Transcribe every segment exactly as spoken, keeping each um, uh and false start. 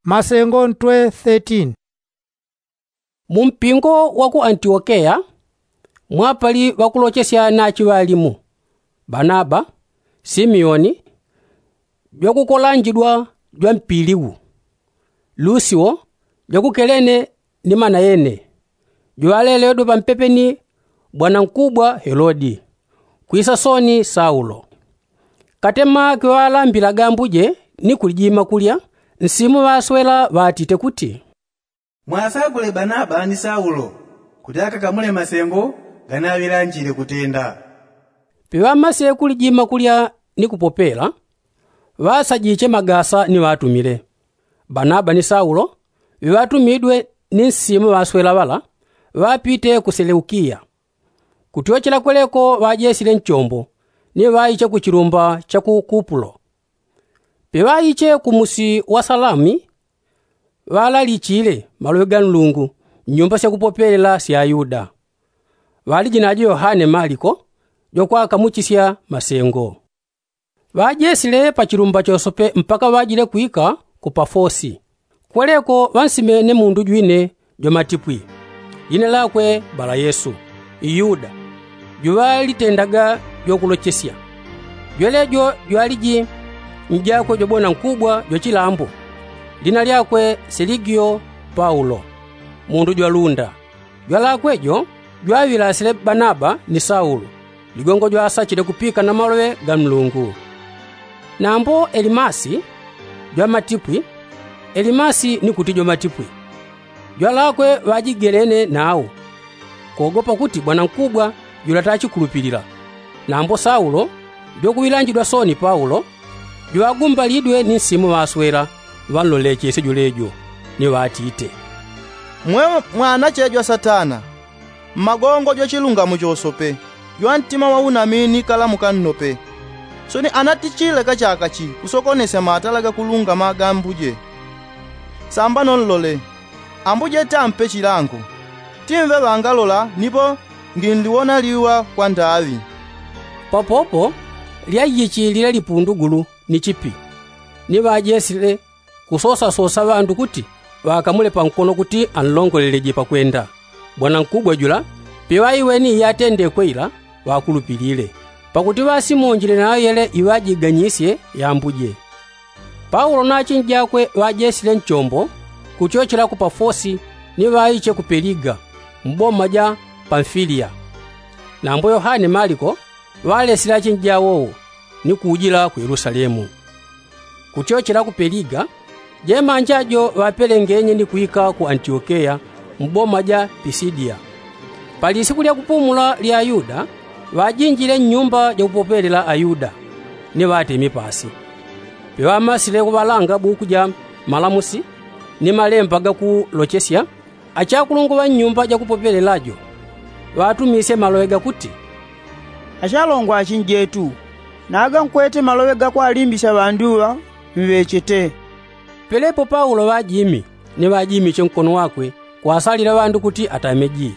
Masengo ntwe thirteen. Mu mpingo wa ku antiokeya mwapali ŵakulochesya nachi ŵalimu, banaba, simeoni, jwakukolanjidwa jwa mpiligu, lusio, jwakukelene, ni manayene, jwaleledwa pampepe ni bwanankubwa helodi, kwisa soni saulo. Katema kiŵaŵalambilaga ambuje ni kulijima kulya, nsimu ŵaswela ŵatite kuti, mwasakule banaba ni saulo, kuti akakamule masengo ganaŵilanjile kutenda. Piŵamasye kulijima kulya ni kupopela, ŵasajiche magasa ni ŵatumile. Banaba ni saulo, ŵiŵatumidwe ni nsimu ŵaswela ŵala, ŵapite ku seleukiya. Kutyochela kweleko ŵajesile nchombo, ni ŵaiche ku chilumba cha ku kupulo. Piŵaiche ku musi wa salami, ŵalalichile maloŵe ga nlungu, nyumba sya kupopelela sya ayuda. Ŵaliji najo yohane maliko, jwakwakamuchisya masengo. Ŵajesile pa chilumba chosope mpaka ŵajile kwika ku pafosi. Kweleko ŵansimene mundu jwine jwamatipwi, jina lyakwe bala yesu, iyuda, juŵalitendaga jwakulochesya. Jwelejo jwaliji njakwe jwabona nkubwa jwa chilambo, lina lyakwe seligio paulo, mundu jwalunda. Jwalakwe jo jwaŵilasile banaba ni saulo, ligongo jwasachile kupika na maloŵe ga nlungu. Nambo elimasi, jwamatipwi, elimasi ni kuti jwamatipwi. Jwalakwe ŵajigelene nao, kogopa kuti bwanankubwa jula tachikulupilila. Nambo saulo, jwakuŵilanjidwa soni paulo, jwagumbalidwe ni nsimu ŵaswela, ŵanlolechesye jwelejo, ni ŵatite, mwe mwanache jwa satana, mmagongo jwa chilungamo chosope, jwa ntima wa unamini kalamuka nnope. Soni anatichile kachaka chi kusokonesya matala ga kulungama ga ambuje. Samba nonlole, ambuje tampe chilango, timve ŵangalola nipo nginliwona liwa kwa ndaŵi. Papopo lyajichilile lipundugulu ni chipi, ni ŵajesile kusosasosa ŵandu kuti ŵakamule pankono kuti anlongoleleje pakwenda. Bwanankubwa jula, piŵaiweni iyatendekwe ila, ŵakulupilile, pakuti ŵasimonjile nayo yele iŵajiganyisye yambuje. Paulo na achinjakwe ŵajesile nchombo, kutyochela ku pafosi, ni ŵaiche ku peliga, mu boma ja pamfiliya. Nambo yohane maliko ŵalesile achinjawowo, ni kujila ku yelusalemu. Kutyochela ku peliga, jemanja jo ŵapelengenye ni kwika ku antiokeya, mu boma ja pisidiya. Pali isiku lya kupumula lya ayuda, ŵajinjile nnyumba jakupopelela ayuda, ni ŵatemi pasi. Piŵamasile kuŵalanga buku ja malamusi, ni malemba gakulochesya, achakulungwa ŵa nnyumba jakupopelela jo, ŵatumisye maloŵe gakuti, achalongwa achinjetu, nagankwete maloŵe gakwalimbisya ŵandu ŵa, mŵechete. Pelepo paulo ŵajimi, ni ŵajimiche nkono wakwe, kwasalila ŵandu kuti atameji,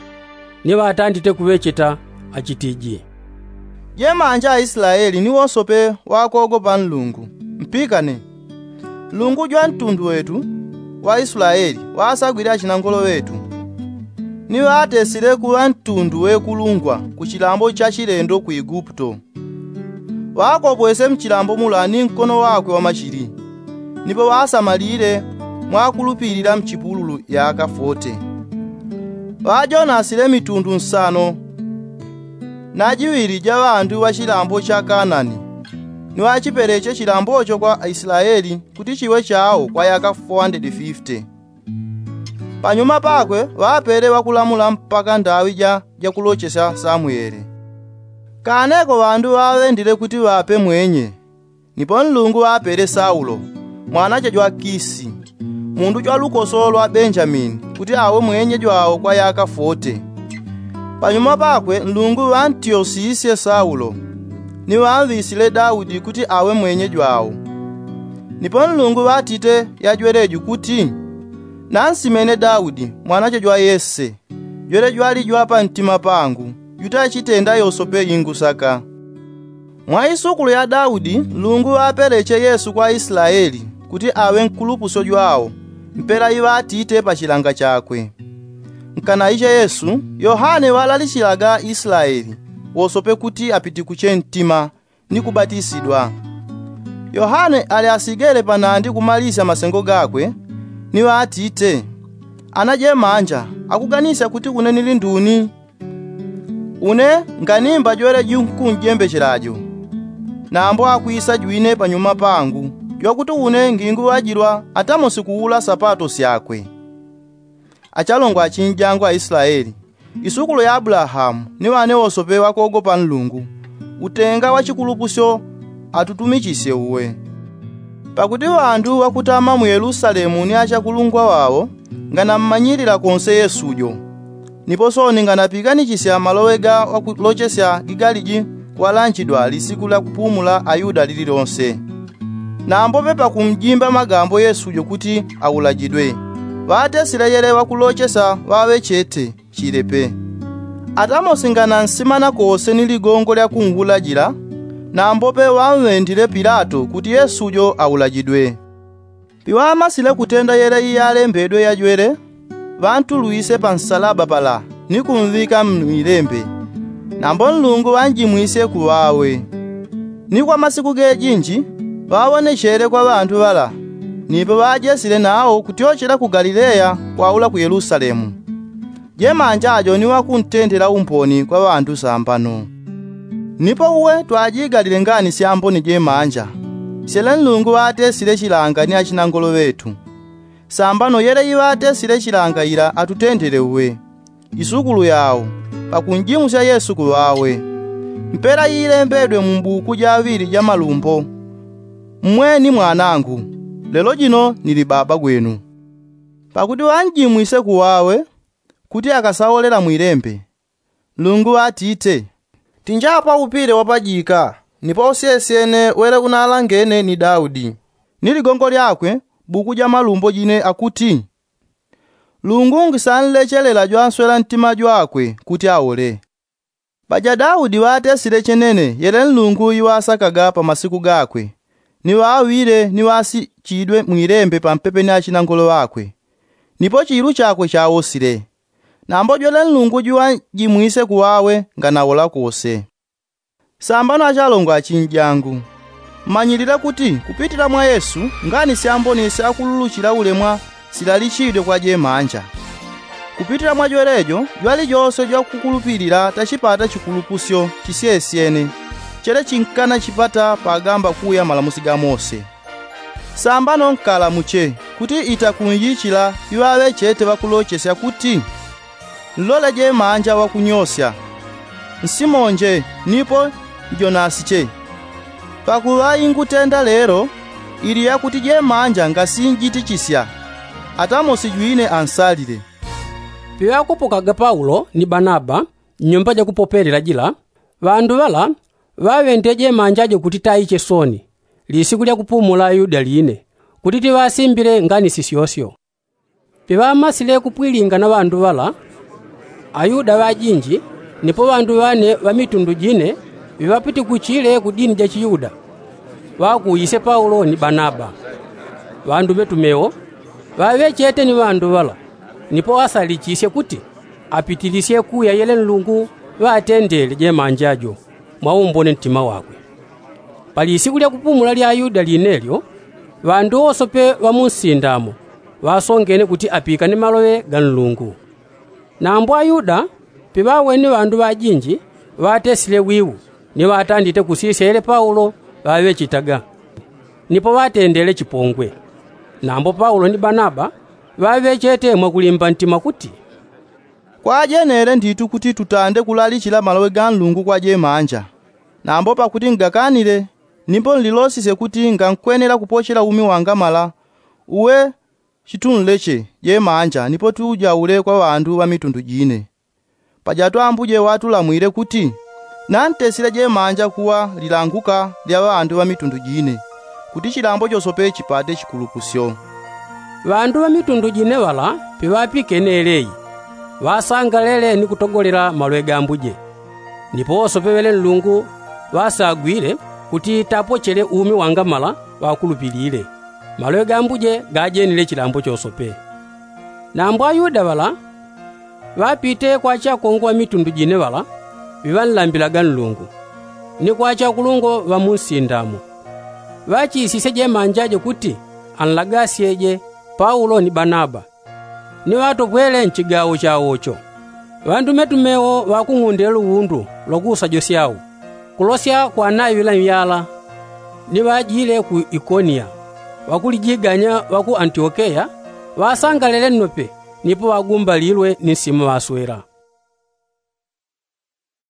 ni ŵatandite kuŵecheta, achitiji, jemanja aislaeli ni wosope, ŵakogopa nlungu, mpikane. Nlungu jwa ntundu wetu wa islaeli, ŵasagwile achinangolo ŵetu, ni ŵatesile kuŵa ntundu wekulungwa ku chilambo cha chilendo ku iguputo. Ŵakopwese mchilambo mula ni nkono wakwe wa machili, nipo ŵasamalile mwakulupilila mchipululu yaka fote. Ŵajonasile mitundu nsano na jiŵili ja ŵandu ŵa chilambo cha kanani, ni ŵachipeleche chilambocho kwa aislaeli kuti chiŵe chawo kwa yaka fowandedi fifte. Panyuma pakwe ŵapele ŵakulamula mpaka ndaŵi ja jakulochesya samuele. Kaneko ŵandu ŵaŵendile kuti ŵape mwenye. Nipo nlungu ŵapele saulo, mwanache jwa kisi, mundu jwa lukoso lwa benjamini, kuti awe mwenye jwawo kwa yaka fote. Panyuma pakwe nlungu ŵantyosisye saulo, ni ŵamvisile daudi kuti awe mwenye jwawo. Nipo nlungu ŵatite yajweleju kuti, nansimene daudi mwanache jwa yese, jwele jwali jwa pantima pangu, jutachitenda yosope ingusaka. Mwa isukulu ya daudi nlungu ŵapeleche yesu kwa islaeli, kuti aŵe nkulupusyo jwawo, Mpela iŵatite pa chilanga chakwe. Nkanaisha yesu, yohane ŵalalichilaga islaeli wosope kuti apitikuche ntima ni kubatisidwa. Yohane ali asigele panandi kumalisya masengo gakwe, ni ŵatite, ana jemanja akuganisya kuti une nili nduni? Une nganimba jwele junkunjembechela jo, nambo akwisa jwine panyuma pangu, jwakuti une nginguŵajilwa atamosi kuula sapato syakwe. Achalongo achinjangu a islaeli, isukulu ya abulahamu ni ŵane wosope ŵakogopa nlungu, utenga wa chikulupusyo atutumichisye uwe. Pakuti ŵandu ŵakutama mu yelusalemu ni achakulungwa ŵao, nganammanyilila konse yesu jo. Nipo sooni nganapiganichisya maloŵe ga ŵakulochesya gigaliji kuŵalanjidwa lisiku lya kupumula ayuda lililonse. Nambope pakumjimba magambo yesu jo kuti aulajidwe, ŵatesile yele ŵakulochesa ŵaŵechete chile pe. Atamosi nganansimana kose ni ligongo lya kunwulajila, nambope ŵamŵendile pilato kuti yesu jo aulajidwe. Piŵamasile kutenda yele iyalembedwe yajwele, ŵantulwise pa nsalaba pala ni kumŵika mwilembe. Nambo nlungu ŵanjimwisye kuŵawe. Ni kwa masiku gejinji ŵaŵonechele kwa ŵandu ŵala, nipo ŵajesile nao kutyochela ku galileya kwaula ku yelusalemu. Jemanja ajo ni ŵakuntendela umboni kwa ŵandu sambano. Nipo uwe twajigalile ngani syamboni jemanja, syele nlungu ŵatesile chilanga ni achinangolo ŵetu. Sambano yele iŵatesile chilanga ila atutendele uwe, isukulu yao, pakunjimusya yesu kuŵawe. Mpela iilembedwe mu mbuku jaŵili ja malumbo, mmwe ni mwanangu, lelo jino nili baba gwenu. Pakuti ŵanjimwise kuŵawe kuti akasawolela mwilembe. Nlungu ŵatite, tinjapwa upile wapajika, nipo usyesyene wele unalangene ni daudi. Ni ligongo lyakwe buku ja malumbo jine akuti, lungu ngisanlechelela jwanswela ntima jwakwe kuti aule. Paja daudi ŵatesile chenene yele nlungu iŵasakaga pa masiku gakwe, ni ŵaŵile ni ŵasichidwe mwilembe pampepe ni achinangolo ŵakwe. Nipo chiilu chakwe chawosile. Nambo jwele nlungu jwanjimwise kuŵawe nganawola kose. Sambano achalongo achinjangu, mmanyilile kuti kupitila mwa yesu ngani syamboni syakululuchila ulemwa silalichidwe kwa jemanja. Kupitila mwa jwelejo jwalijose jwakukulupilila tachipata chikulupusyo chisyesyene, chele chinkana chipata pagamba kuya malamusi ga mose. Sambano nkalamuche kuti itakunjichila iŵaŵechete ŵakulochesya kuti, nlole jemanja ŵakunyosya, nsimonje nipo njonasiche. Pakuŵa ingutenda lelo ili yakuti jemanja ngasinjitichisya, atamosi jwine ansalile. Piŵakupukaga paulo ni banaba, nyumba jakupopelela jila, ŵandu ŵala ŵaŵendile jemanja jo kuti taiche sooni, lisiku lya kupumula ayuda line, kuti tiŵasimbile ngani sisyosyo. Piŵamasile kupwilinga na ŵandu ŵala, ayuda ŵajinji nipo ŵandu ŵane ŵa mitundu jine, viŵapitikuchile ku dini ja chiyuda, ŵakuuyisye paulo ni banaba. Ŵandume tumewo ŵaŵechete ni ŵandu ŵala, nipo ŵasalichisye kuti apitilisye kuya yele nlungu ŵatendele jemanja jo mwa umbone ntima wakwe. Pali isiku lya kupumula lya ayuda linelyo, ŵandu wosope ŵa mu nsinda mo ŵasongene kuti apikane maloŵe ga nlungu. Nambo ayuda piŵaweni ŵandu ŵajinji, ŵatesile wiu ni ŵatandite kusisyele paulo ŵaŵechetaga, nipo ŵatendele chipongwe. Nambo paulo ni banaba ŵaŵechete mwakulimba ntima kuti, kwajenele nditu kuti tutande kulalichila maloŵe ga nlungu kwa jemanja. Nambo pakuti ngakanile, nipo nlilosisye kuti ngankwenela kupochela umi wangamala, uwe chitunleche jemanja nipo tujaule kwa ŵandu ŵa mitundu jine. Paja twambuje ŵatulamwile kuti, nantesile jemanja kuŵa lilanguka lya ŵandu ŵa mitundu jine, kuti chilambo chosope chipate chikulupusyo. Ŵandu ŵa mitundu jine ŵala piŵapikene eleyi, ŵasangalele ni kutogolela maloŵe ga ambuje. Nipo wosope ŵele nlungu ŵasagwile kuti tapochele umi wangamala ŵakulupilile. Maloŵe ga ambuje gajenile chilambo chosope. Nambo ayuda ŵala ŵapite kwa chakongwa mitundu jine ŵala ŵiŵanlambilaga nlungu, ni kwa chakulungwa ŵa mu nsindamo, ŵachisisye jemanja je kuti anlagasye je paulo ni banaba, ni ŵatopwele nchigawo chawo cho. Ŵandumetume wo ŵakung'undile luwundu lwa kuusajo syau, kulosya kwa naŵila myala. Ni ŵajile ku ikoniya, ŵakulijiganya ŵa ku antiokeya ŵasangalele nnope, nipo ŵagumbalilwe ni nsima ŵaswela.